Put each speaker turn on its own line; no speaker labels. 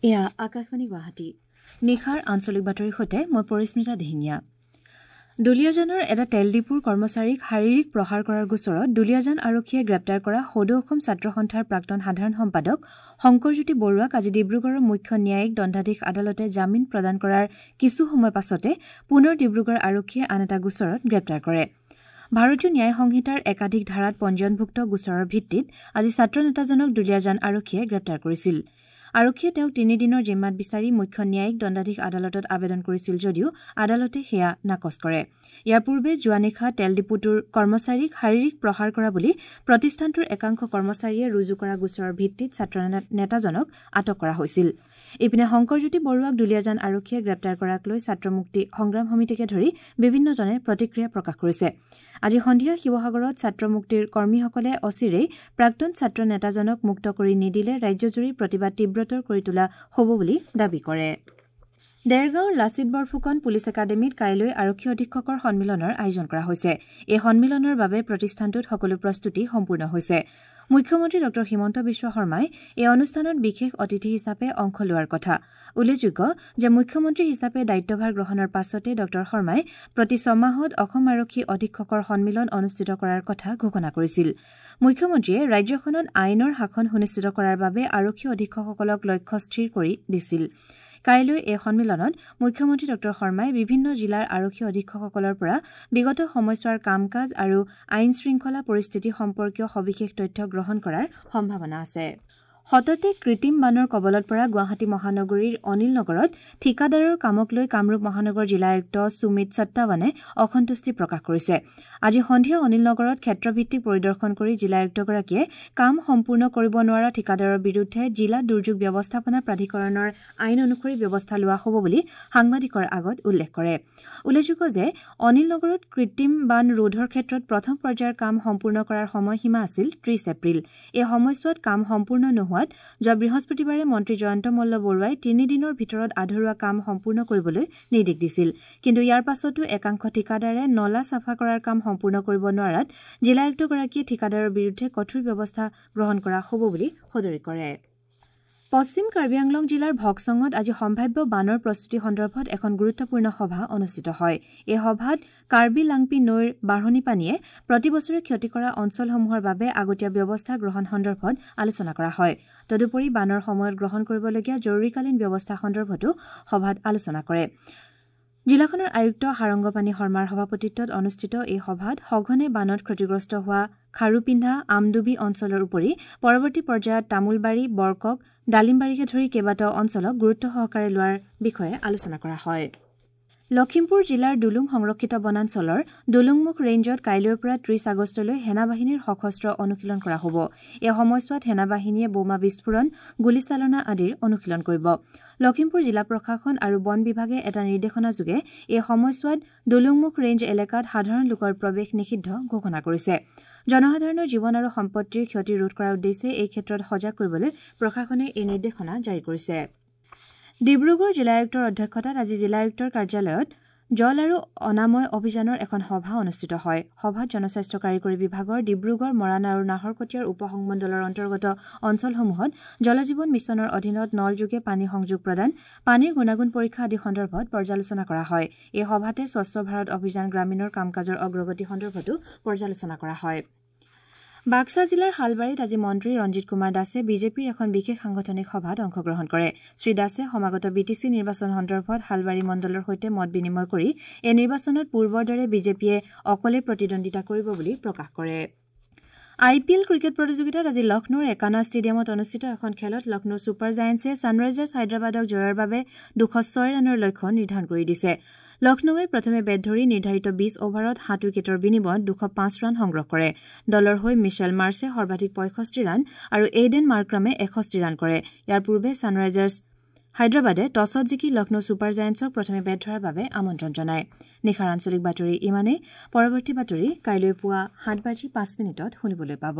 এয়া আকাশবাণী গুৱাহাটী। নিশাৰ আঞ্চলিক বাতৰিৰ সৈতে মই পৰিস্মিতা দিহিঙীয়া। দুলীয়াজানৰ এটা তেল ডিপুৰ কৰ্মচাৰীক শাৰীৰিক প্ৰহাৰ কৰাৰ গোচৰত দুলীয়াজান আৰক্ষীয়ে গ্ৰেপ্তাৰ কৰা সদৌ অসম ছাত্ৰ সন্থাৰ প্ৰাক্তন সাধাৰণ সম্পাদক শংকৰজ্যোতি বৰুৱাক আজি ডিব্ৰুগড়ৰ মুখ্য ন্যায়িক দণ্ডাধীশ আদালতে জামিন প্ৰদান কৰাৰ কিছু সময় পাছতে পুনৰ ডিব্ৰুগড় আৰক্ষীয়ে আন এটা গোচৰত গ্ৰেপ্তাৰ কৰে। ভাৰতীয় ন্যায় সংহিতাৰ একাধিক ধাৰাত পঞ্জীয়নভুক্ত গোচৰৰ ভিত্তিত আজি ছাত্ৰ নেতাজনক দুলীয়াজান আৰক্ষীয়ে গ্ৰেপ্তাৰ কৰিছিল। আৰক্ষীয়ে তেওঁক তিনিদিনৰ জিম্মাত বিচাৰি মুখ্য ন্যায়িক দণ্ডাধীশ আদালতত আবেদন কৰিছিল যদিও আদালতে সেয়া নাকচ কৰে। ইয়াৰ পূৰ্বে যোৱা নিশা তেল ডিপুটোৰ কৰ্মচাৰীক শাৰীৰিক প্ৰহাৰ কৰা বুলি প্ৰতিষ্ঠানটোৰ একাংশ কৰ্মচাৰীয়ে ৰুজু কৰা গোচৰৰ ভিত্তিত ছাত্ৰ নেতাজনক আটক কৰা হৈছিল। ইপিনে শংকৰজ্যোতি বৰুৱাক দুলীয়াজান আৰক্ষীয়ে গ্ৰেপ্তাৰ কৰাক লৈ ছাত্ৰ মুক্তি সংগ্ৰাম সমিতিকে ধৰি বিভিন্নজনে প্ৰতিক্ৰিয়া প্ৰকাশ কৰিছে। আজি সন্ধিয়া শিৱসাগৰত ছাত্ৰ মুক্তিৰ কৰ্মীসকলে অচিৰেই প্ৰাক্তন ছাত্ৰ নেতাজনক মুক্ত কৰি নিদিলে ৰাজ্যজুৰি প্ৰতিবাদ তীব্ৰতৰ কৰি তোলা হ'ব বুলি দাবী কৰে। দেৰগাঁৱৰ লাচিত বৰফুকন পুলিচ একাডেমীত কাইলৈ আৰক্ষী অধীক্ষকৰ সন্মিলনৰ আয়োজন কৰা হৈছে। এই সন্মিলনৰ বাবে প্ৰতিষ্ঠানটোত সকলো প্ৰস্তুতি সম্পূৰ্ণ হৈছে। মুখ্যমন্ত্ৰী ডঃ হিমন্ত বিশ্ব শৰ্মাই এই অনুষ্ঠানত বিশেষ অতিথি হিচাপে অংশ লোৱাৰ কথা। উল্লেখযোগ্য যে মুখ্যমন্ত্ৰী হিচাপে দায়িত্বভাৰ গ্ৰহণৰ পাছতে ডঃ শৰ্মাই প্ৰতি ছমাহত অসম আৰক্ষী অধীক্ষকৰ সন্মিলন অনুষ্ঠিত কৰাৰ কথা ঘোষণা কৰিছিল। মুখ্যমন্ত্ৰীয়ে ৰাজ্যখনত আইনৰ শাসন সুনিশ্চিত কৰাৰ বাবে আৰক্ষী অধীক্ষকসকলক লক্ষ্য স্থিৰ কৰি দিছিল। কাইলৈ এই সন্মিলনত মুখ্যমন্ত্ৰী ডঃ শৰ্মাই বিভিন্ন জিলাৰ আৰক্ষী অধীক্ষকসকলৰ পৰা বিগত সময়ছোৱাৰ কাম কাজ আৰু আইন শৃংখলা পৰিস্থিতি সম্পৰ্কীয় সবিশেষ তথ্য গ্ৰহণ কৰাৰ সম্ভাৱনা আছে। সততে কৃত্ৰিম বানৰ কবলত পৰা গুৱাহাটী মহানগৰীৰ অনিল নগৰত ঠিকাদাৰৰ কামক লৈ কামৰূপ মহানগৰ জিলা আয়ুক্ত সুমিত সত্তাৱানে অসন্তুষ্টি প্ৰকাশ কৰিছে। আজি সন্ধিয়া অনিল নগৰত ক্ষেত্ৰভিত্তিক পৰিদৰ্শন কৰি জিলা আয়ুক্তগৰাকীয়ে কাম সম্পূৰ্ণ কৰিব নোৱাৰা ঠিকাদাৰৰ বিৰুদ্ধে জিলা দুৰ্যোগ ব্যৱস্থাপনা প্ৰাধিকৰণৰ আইন অনুসৰি ব্যৱস্থা লোৱা হ'ব বুলি সাংবাদিকৰ আগত উল্লেখ কৰে। উল্লেখযোগ্য যে অনিল নগৰত কৃত্ৰিম বান ৰোধৰ ক্ষেত্ৰত প্ৰথম পৰ্যায়ৰ কাম সম্পূৰ্ণ কৰাৰ সময়সীমা আছিল ৩০ এপ্ৰিল। এই সময়ছোৱাত কাম সম্পূৰ্ণ নোহোৱাত যোৱা বৃহস্পতিবাৰে মন্ত্ৰী জয়ন্ত মল্ল বৰুৱাই তিনিদিনৰ ভিতৰত আধৰুৱা কাম সম্পূৰ্ণ কৰিবলৈ নিৰ্দেশ দিছিল। কিন্তু ইয়াৰ পাছতো একাংশ ঠিকাদাৰে নলা চাফা কৰাৰ কাম সম্পূৰ্ণ কৰিব নোৱাৰাত জিলা আয়ুক্তগৰাকীয়ে ঠিকাদাৰৰ বিৰুদ্ধে কঠোৰ ব্যৱস্থা গ্ৰহণ কৰা হ'ব বুলি সদৰি কৰে। পশ্চিম কাৰ্বি আংলং জিলাৰ ভকচঙত আজি সম্ভাৱ্য বানৰ প্ৰস্তুতি সন্দৰ্ভত এখন গুৰুত্বপূৰ্ণ সভা অনুষ্ঠিত হয়। এই সভাত কাৰ্বি লাংপি নৈৰ বাঢ়নী পানীয়ে প্ৰতি বছৰে ক্ষতি কৰা অঞ্চলসমূহৰ বাবে আগতীয়া ব্যৱস্থা গ্ৰহণ সন্দৰ্ভত আলোচনা কৰা হয়। তদুপৰি বানৰ সময়ত গ্ৰহণ কৰিবলগীয়া জৰুৰীকালীন ব্যৱস্থা সন্দৰ্ভতো সভাত আলোচনা কৰে। জিলাখনৰ আয়ুক্ত সাৰংগপাণি শৰ্মাৰ সভাপতিত্বত অনুষ্ঠিত এই সভাত সঘনে বানত ক্ষতিগ্ৰস্ত হোৱা খাৰুপিন্ধা, আমডুবি অঞ্চলৰ উপৰি পৰৱৰ্তী পৰ্যায়ত তামোলবাৰী, বৰকক, ডালিমবাৰীকে ধৰি কেইবাটাও অঞ্চলক গুৰুত্ব সহকাৰে লোৱাৰ বিষয়ে আলোচনা কৰা হয়। লখিমপুৰ জিলাৰ দুলুং সংৰক্ষিত বনাঞ্চলৰ দুলুংমুখ ৰেঞ্জত কাইলৈৰ পৰা ৩০ আগষ্টলৈ সেনাবাহিনীৰ সশস্ত্ৰ অনুশীলন কৰা হ'ব। এই সময়ছোৱাত সেনাবাহিনীয়ে বোমা বিস্ফোৰণ, গুলীচালনা আদিৰ অনুশীলন কৰিব। লখিমপুৰ জিলা প্ৰশাসন আৰু বন বিভাগে এটা নিৰ্দেশনাযোগে এই সময়ছোৱাত দুলুংমুখ ৰেঞ্জ এলেকাত সাধাৰণ লোকৰ প্ৰৱেশ নিষিদ্ধ ঘোষণা কৰিছে। জনসাধাৰণৰ জীৱন আৰু সম্পত্তিৰ ক্ষতি ৰোধ কৰাৰ উদ্দেশ্যে এই ক্ষেত্ৰত সজাগ কৰিবলৈ প্ৰশাসনে এই নিৰ্দেশনা জাৰি কৰিছে। ডিব্ৰুগড় জিলা আয়ুক্তৰ অধ্যক্ষতাত আজি জিলা আয়ুক্তৰ কাৰ্যালয়ত জল আৰু অনাময় অভিযানৰ এখন সভা অনুষ্ঠিত হয়। সভাত জনস্বাস্থ্য কাৰিকৰী বিভাগৰ ডিব্ৰুগড়, মৰাণ আৰু নাহৰকটীয়াৰ উপ সংমণ্ডলৰ অন্তৰ্গত অঞ্চলসমূহত জলজীৱন মিছনৰ অধীনত নলযোগে পানী সংযোগ প্ৰদান, পানীৰ গুণাগুণ পৰীক্ষা আদি সন্দৰ্ভত পৰ্যালোচনা কৰা হয়। এই সভাতে স্বচ্ছ ভাৰত অভিযান গ্ৰামীণৰ কাম কাজৰ অগ্ৰগতি সন্দৰ্ভতো পৰ্যালোচনা কৰা হয়। বাক্সা জিলাৰ শালবাৰীত আজি মন্ত্ৰী ৰঞ্জিত কুমাৰ দাসে বিজেপিৰ এখন বিশেষ সাংগঠনিক সভাত অংশগ্ৰহণ কৰে। শ্ৰী দাসে সমাগত বিটিচি নিৰ্বাচন সন্দৰ্ভত শালবাৰী মণ্ডলৰ সৈতে মত বিনিময় কৰি এই নিৰ্বাচনত পূৰ্বৰ দৰে বিজেপিয়ে অকলে প্ৰতিদ্বন্দ্বিতা কৰিব বুলি প্ৰকাশ কৰে। আই পি এল ক্ৰিকেট প্ৰতিযোগিতাত আজি লক্ষ্ণৌৰ একানা ষ্টেডিয়ামত অনুষ্ঠিত এখন খেলত লক্ষ্ণৌ ছুপাৰ জায়েণ্টছে ছানৰাইজাৰ্ছ হায়দৰাবাদক জয়ৰ বাবে ২০৬ ৰানৰ লক্ষ্য নিৰ্ধাৰণ কৰি দিছে। লক্ষ্ণৌৱে প্ৰথমে বেট ধৰি নিৰ্ধাৰিত ২০ অভাৰত ৭ উইকেটৰ বিনিময়ত ২০৫ ৰান সংগ্ৰহ কৰে। দলৰ হৈ মিছেল মাৰ্ছে সৰ্বাধিক ৬৫ ৰান আৰু এইডেন মাৰ্ক্ৰামে ৬১ ৰান কৰে। ইয়াৰ পূৰ্বে ছানৰাইজাৰ্ছ হায়দৰাবাদে টছত জিকি লক্ষ্ণৌ ছুপাৰ জায়েণ্টছক প্ৰথমে বেট ধৰাৰ বাবে আমন্ত্ৰণ জনায়। নিশাৰ আঞ্চলিক বাতৰি ইমানেই। পৰৱৰ্তী বাতৰি কাইলৈ পুৱা ৭:০৫ শুনিবলৈ পাব।